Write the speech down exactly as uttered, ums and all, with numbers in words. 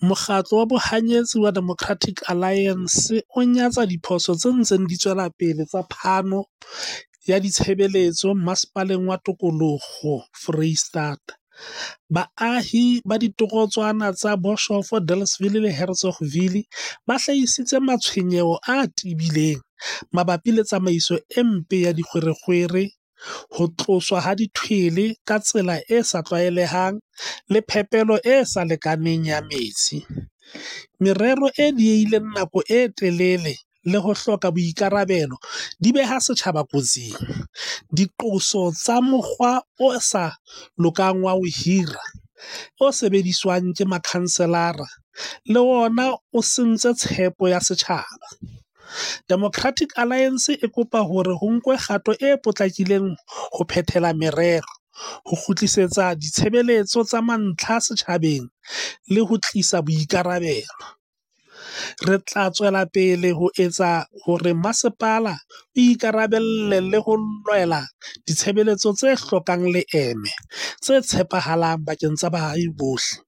Mokgatlo wa bohanyetsi wa Democratic Alliance o nyatsa diphoso tse ntseng di tswela pele tsa phano ya ditshebeletso Masepaleng wa Tikoloho Foreisetata. Baahi ba ditorotswana tsa Boshof, Delareyville le Hertzogville ba hlahisitse matshwenyeho a tebileng mabapi le tsamaiso e mpe ya dikgwerekgwere, ho tloswa ha dithwele ka tsela e sa tlwaelehang le phepelo e sa lekaneng ya metsi. Merero e diehileng nako e telele le ho hloka boikarabelo di beha setjhaba kotsing. Diqoso tsa mokgwa o sa lokang wa ho hira, o sebediswang ke makhanselara, le wona o sentse tshepo ya setjhaba. Democratic Alliance e kopa hore ho nkwe kgato e potlakileng ho phethela merero, ho kgutlisetsa ditshebeletso tsa mantlha setjhabeng le ho tlisa boikarabelo. Re tla tswela pele ho etsa hore masepala o ikarabelle le ho lwela ditshebeletso tse hlokang leeme, tse tshepahalang bakeng sa baahi bohle.